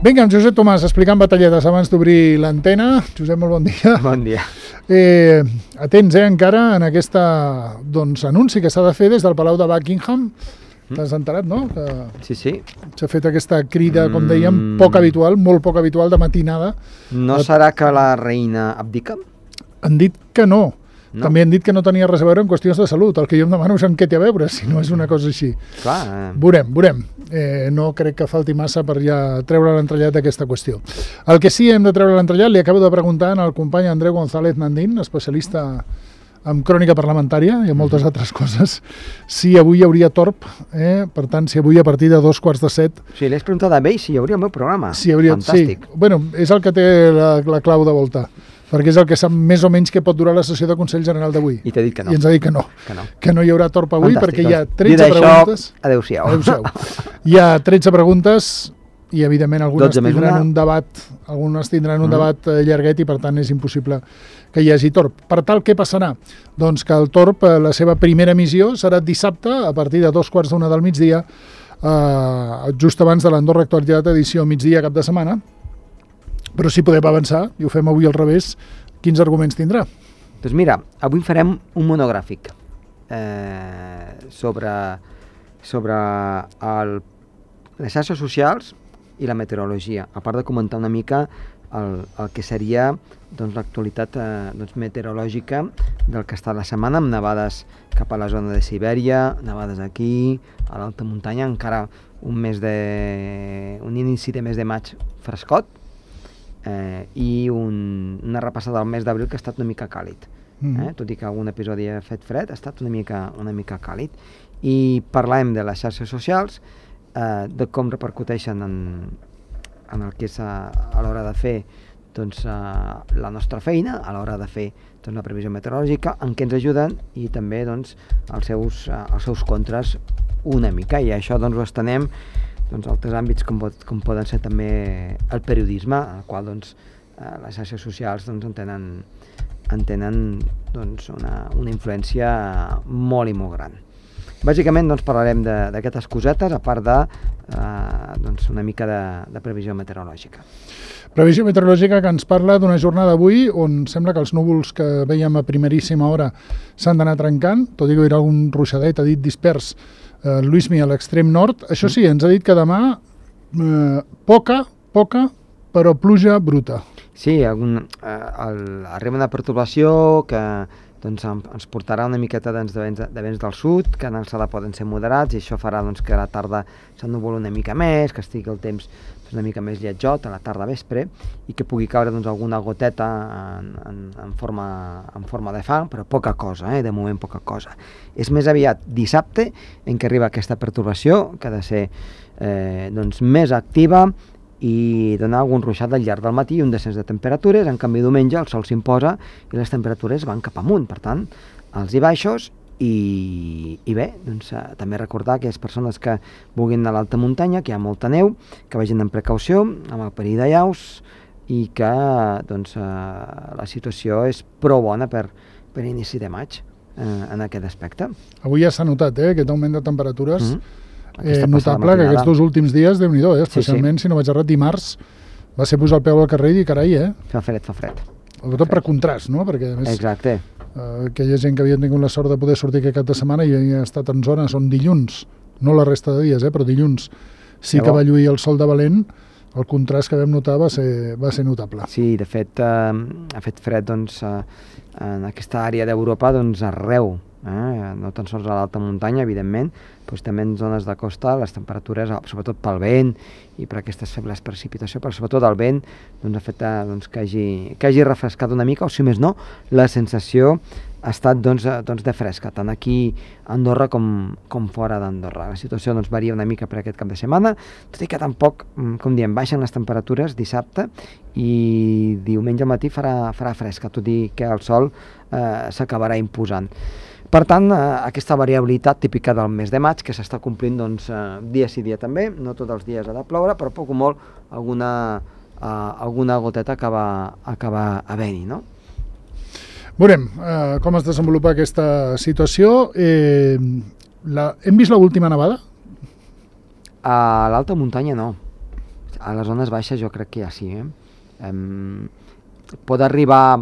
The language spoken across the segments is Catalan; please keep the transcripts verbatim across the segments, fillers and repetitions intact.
Vinga, en Josep Tomàs, explicant batalletes abans d'obrir l'antena. Josep, molt bon dia. Bon dia. Eh, atents, eh, encara en aquesta doncs, anunci que s'ha de fer des del Palau de Buckingham. T'has enterat, no? Que Sí, sí. s'ha fet aquesta crida, com dèiem, poc habitual, molt poc habitual, de matinada. No serà que la reina abdica? Han dit que no. No. També han dit que no tenia res a veure amb qüestions de salut. El que jo em demano és amb què té a veure, si no és una cosa així. Clar. Eh... Veurem, veurem. Eh, no crec que falti massa per ja treure l'entrellat d'aquesta qüestió. El que sí hem de treure l'entrellat, li acabo de preguntar al company Andreu González Nandín, especialista en crònica parlamentària i en moltes mm-hmm. altres coses, si avui hi hauria torb, eh? Per tant, si avui a partir de dos quarts de set... Sí, l'he preguntat a ell si hi hauria el meu programa. Si hi hauria... Fantàstic. Sí. Bueno, és el que té la, la clau de volta, perquè és el que sap més o menys què pot durar la sessió de Consell General d'avui. I t'ha dit que no. I ens ha dit que no. Que no, que no hi haurà torb avui. Fantàstic, perquè hi ha doncs, tretze preguntes... Adéu-siau. Adéu-siau. Hi ha tretze preguntes i, evidentment, algunes tindran una... un debat, algunes tindran un mm. debat eh, llarguet i, per tant, és impossible que hi hagi torb. Per tal, què passarà? Doncs que el torb, eh, la seva primera emissió, serà dissabte, a partir de dos quarts d'una del migdia, eh, just abans de l'Andorra Actualitat, edició migdia cap de setmana. Però si podem avançar, i ho fem avui al revés, quins arguments tindrà? Doncs mira, avui farem un monogràfic eh, sobre, sobre el, les xarxes socials i la meteorologia, a part de comentar una mica el, el que seria doncs, l'actualitat eh, doncs, meteorològica del que està la setmana, amb nevades cap a la zona de Sibèria, nevades aquí, a l'alta muntanya, encara un mes de, un inici de mes de maig frescot, Eh, i un, una repassada del mes d'abril que ha estat una mica càlid. Mm. Eh? Tot i que algun episodi ha fet fred, ha estat una mica, una mica càlid. I parlem de les xarxes socials, eh, de com repercuteixen en, en el que és a, a l'hora de fer doncs, eh, la nostra feina, a l'hora de fer doncs, la previsió meteorològica, en què ens ajuden i també doncs, els, seus, eh, els seus contres una mica. I això doncs, ho estenem doncs, altres àmbits com, pot, com poden ser també el periodisme, al qual doncs, eh, les xarxes socials doncs, en tenen, en tenen doncs, una, una influència molt i molt gran. Bàsicament doncs, parlarem d'aquestes cosetes, a part de eh, doncs, una mica de, de previsió meteorològica. Previsió meteorològica que ens parla d'una jornada d'avui on sembla que els núvols que veiem a primeríssima hora s'han d'anar trencant, tot i que hi haurà algun ruixadet, ha dit dispers, Uh, Luismi a l'extrem nord. Això sí, ens ha dit que demà uh, poca, poca, però pluja bruta. Sí, algun, uh, el, arriba una pertorbació que doncs, ens portarà una miqueta doncs, de, vents, de vents del sud, que en alçada poden ser moderats, i això farà doncs, que a la tarda s'ennuvola una mica més, que estigui el temps una mica més lletjot a la tarda vespre, i que pugui caure doncs, alguna goteta en, en, en, forma, en forma de fang, però poca cosa, eh? De moment poca cosa. És més aviat dissabte en què arriba aquesta pertorbació, que ha de ser eh, doncs, més activa i donar algun ruixat al llarg del matí i un descens de temperatures. En canvi, diumenge el sol s'imposa i les temperatures van cap amunt, per tant, alts i baixos. I, i bé, doncs, eh, també recordar que les persones que vulguin anar a l'alta muntanya, que hi ha molta neu, que vagin amb precaució, amb el perill de llaus, i que doncs, eh, la situació és prou bona per, per inici de maig eh, en aquest aspecte. Avui ja s'ha notat eh, aquest augment de temperatures mm-hmm. eh, notable, que aquests dos últims dies, Déu-n'hi-do, eh, especialment sí, sí. si no vaig errat, dimarts va ser posar el peu al carrer i dir, carai, eh? Fa fred, fa fred. Tot per contrast, no? Perquè, a més, exacte. Uh, aquella gent que havia tingut la sort de poder sortir aquest cap de setmana i ha estat en zones on dilluns, no la resta de dies, eh, però dilluns sí que va lluir el sol de valent, el contrast que vam notar va ser, va ser notable. Sí, de fet, eh, ha fet fred doncs, eh, en aquesta àrea d'Europa doncs, arreu, eh? No tan sols a l'alta muntanya, evidentment, doncs també en zones de costa les temperatures, sobretot pel vent i per aquestes febles precipitacions, però sobretot el vent doncs, ha fet doncs, que, hagi, que hagi refrescat una mica, o si més no, la sensació ha estat doncs, doncs, de fresca, tant aquí a Andorra com, com fora d'Andorra. La situació doncs, varia una mica per aquest cap de setmana, tot i que tampoc, com diem, baixen les temperatures dissabte i diumenge al matí farà, farà fresca, tot i que el sol eh, s'acabarà imposant. Per tant, eh, aquesta variabilitat típica del mes de maig, que s'està complint doncs, eh, dia sí dia també, no tots els dies ha de ploure, però poc o molt alguna, eh, alguna goteta acaba, acaba havent-hi, no? Veurem eh, com es desenvolupa aquesta situació. Eh, la, hem vist l'última nevada? A l'alta muntanya no. a les zones baixes jo crec que ja sí. Eh? Um, pot arribar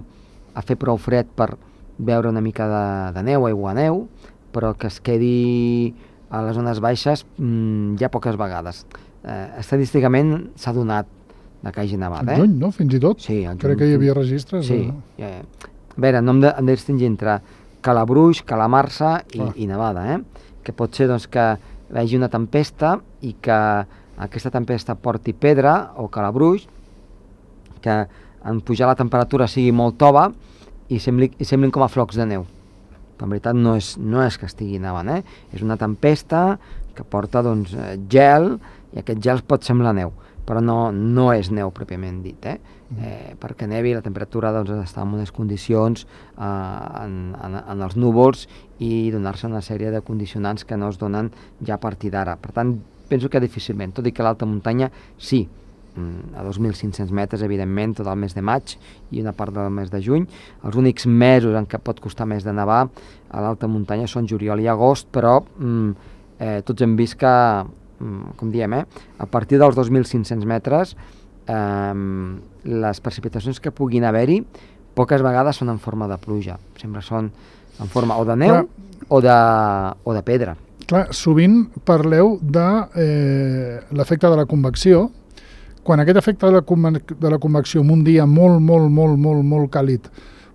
a fer prou fred per veure una mica de, de neu, aigua neu, però que es quedi a les zones baixes mm, ja poques vegades. Eh, estadísticament s'ha donat de que hagi nevat. Al eh? juny, no? Fins i tot? Sí, al Crec juny. que hi havia registres. Sí. De... Eh, a veure, no hem de, hem de distingir entre Calabruix, Calamarsa i, Ah. i nevada, eh? Que pot ser doncs, que hi hagi una tempesta i que aquesta tempesta porti pedra o calabruix, que en pujar la temperatura sigui molt tova i, sembli, i semblin com a flocs de neu. Però en veritat no és, no és que estigui nevant, eh? És una tempesta que porta doncs, gel, i aquest gel pot semblar neu, però no, no és neu pròpiament dit, eh? Eh, perquè nevi la temperatura doncs, està en unes condicions eh, en, en, en els núvols i donar-se una sèrie de condicionants que no es donen ja a partir d'ara. Per tant, penso que difícilment, tot i que l'alta muntanya sí, a dos mil cinc-cents metres, evidentment, tot el mes de maig i una part del mes de juny. Els únics mesos en què pot costar més de nevar a l'alta muntanya són juliol i agost, però mm, eh, tots hem vist que, mm, com diem, eh, a partir dels dos mil cinc-cents metres eh, les precipitacions que puguin haver-hi poques vegades són en forma de pluja, sempre són en forma o de neu o de, o de pedra. Clar, sovint parleu de eh, l'efecte de la convecció. Quan aquest efecte de la, de la convecció en un dia molt, molt, molt, molt, molt càlid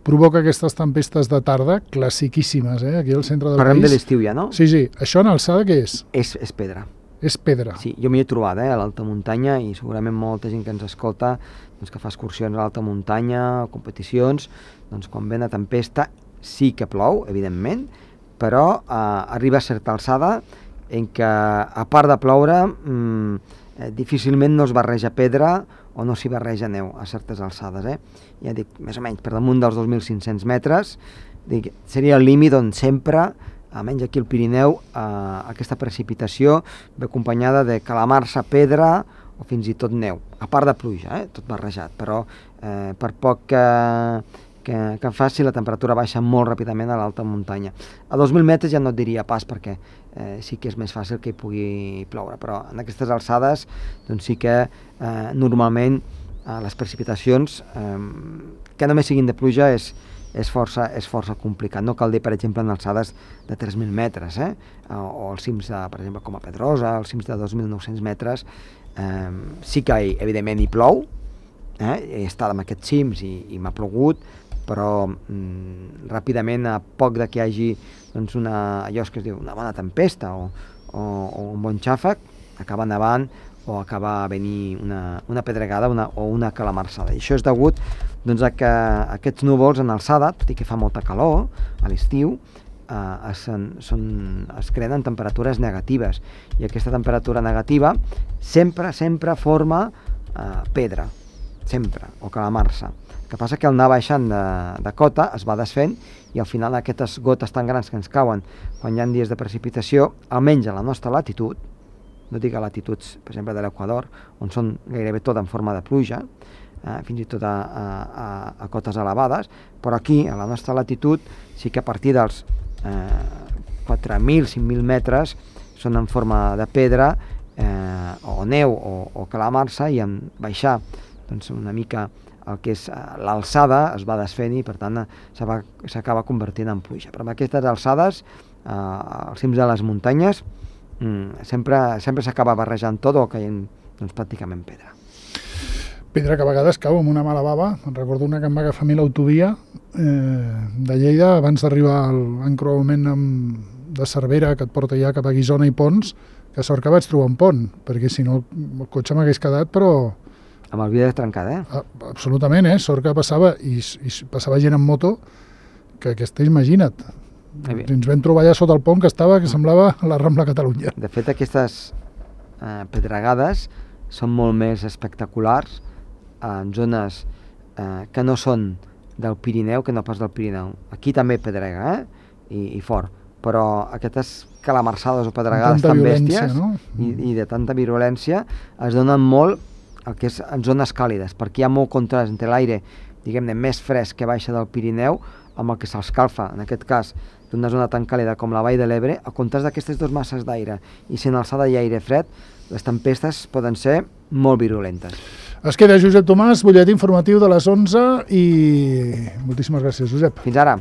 provoca aquestes tempestes de tarda, classiquíssimes, eh? Aquí al centre del Parlem país. de l'estiu ja, no? Sí, sí. Això en alçada què és? És, és pedra. És pedra. Sí, jo m'hi he trobat, eh, a l'alta muntanya, i segurament molta gent que ens escolta, doncs, que fa excursions a l'alta muntanya, o competicions, doncs quan ve una tempesta sí que plou, evidentment, però eh, arriba a certa alçada en què, a part de ploure, mmm, eh, difícilment no es barreja pedra o no s'hi barreja neu a certes alçades. Eh? Ja dic, més o menys, per damunt dels dos mil cinc-cents metres, dic, seria el límit on sempre, almenys aquí al Pirineu, eh, aquesta precipitació ve acompanyada de calamarsa, pedra o fins i tot neu, a part de pluja, eh? Tot barrejat, però eh, per poc que, que, que faci, la temperatura baixa molt ràpidament a l'alta muntanya. A dos mil metres ja no et diria pas, perquè eh, sí que és més fàcil que hi pugui ploure, però en aquestes alçades doncs sí que eh, normalment eh, les precipitacions eh, que només siguin de pluja és és força, és força complicat. No cal dir, per exemple, en alçades de tres mil metres, eh? o, o els cims, de, per exemple, com a Pedrosa, els cims de dos mil nou-cents metres, eh, sí que, evidentment, hi plou, eh? He estat en aquests cims i, i m'ha plogut, però mm, ràpidament, a poc de que hi hagi doncs, una, allò que es diu una bona tempesta o, o, o un bon xàfec, acaba nevant o acaba a venir una, una pedregada una, o una calamarsada. I això és degut doncs, a que aquests núvols en alçada, tot i que fa molta calor a l'estiu, eh, es, són, es creen en temperatures negatives, i aquesta temperatura negativa sempre, sempre forma eh, pedra, sempre, o calamarsa. El que passa que al anar baixant de, de cota es va desfent, i al final aquestes gotes tan grans que ens cauen quan hi ha dies de precipitació, almenys a la nostra latitud, no dic a latituds, per exemple, de l'Equador, on són gairebé tot en forma de pluja, eh, fins i tot a, a, a cotes elevades, però aquí, a la nostra latitud, sí que a partir dels eh, quatre mil, cinc mil metres són en forma de pedra, eh, o neu, o, o calamarsa, i en baixar doncs, una mica el que és l'alçada es va desfent i, per tant, s'acaba convertint en pluja. Però amb aquestes alçades, eh, als cims de les muntanyes, Mm, sempre sempre s'acaba barrejant tot o caient doncs, pràcticament pedra. Pedra que a vegades cau amb una mala bava. Em recordo una que em va agafar a mi l'autovia eh, de Lleida abans d'arribar a l'encreuament de Cervera, que et porta ja cap a Guissona i Pons, que sort que vaig trobar un pont, perquè si no el cotxe m'hagués quedat, però... Amb el vidre trencat, eh? A, absolutament, eh? Sort que passava, i, i passava gent en moto, que aquesta, imagina't, ens vam trobar allà sota el pont que estava, que semblava la Rambla Catalunya. De fet, aquestes eh, pedregades són molt més espectaculars en zones eh, que no són del Pirineu que no pas del Pirineu. Aquí també pedrega, eh? I, i fort, però aquestes calamarsades o pedregades tan bèsties, no? i, i de tanta virulència es donen molt el que és en zones càlides, perquè hi ha molt contrast entre l'aire, diguem-ne, més fresc que baixa del Pirineu amb el que s'escalfa, en aquest cas, d'una zona tan càlida com la Vall de l'Ebre, a comptes d'aquestes dues masses d'aire i sent alçada i aire fred, les tempestes poden ser molt virulentes. Es queda Josep Tomàs, butlletí informatiu de les onze i moltíssimes gràcies, Josep. Fins ara.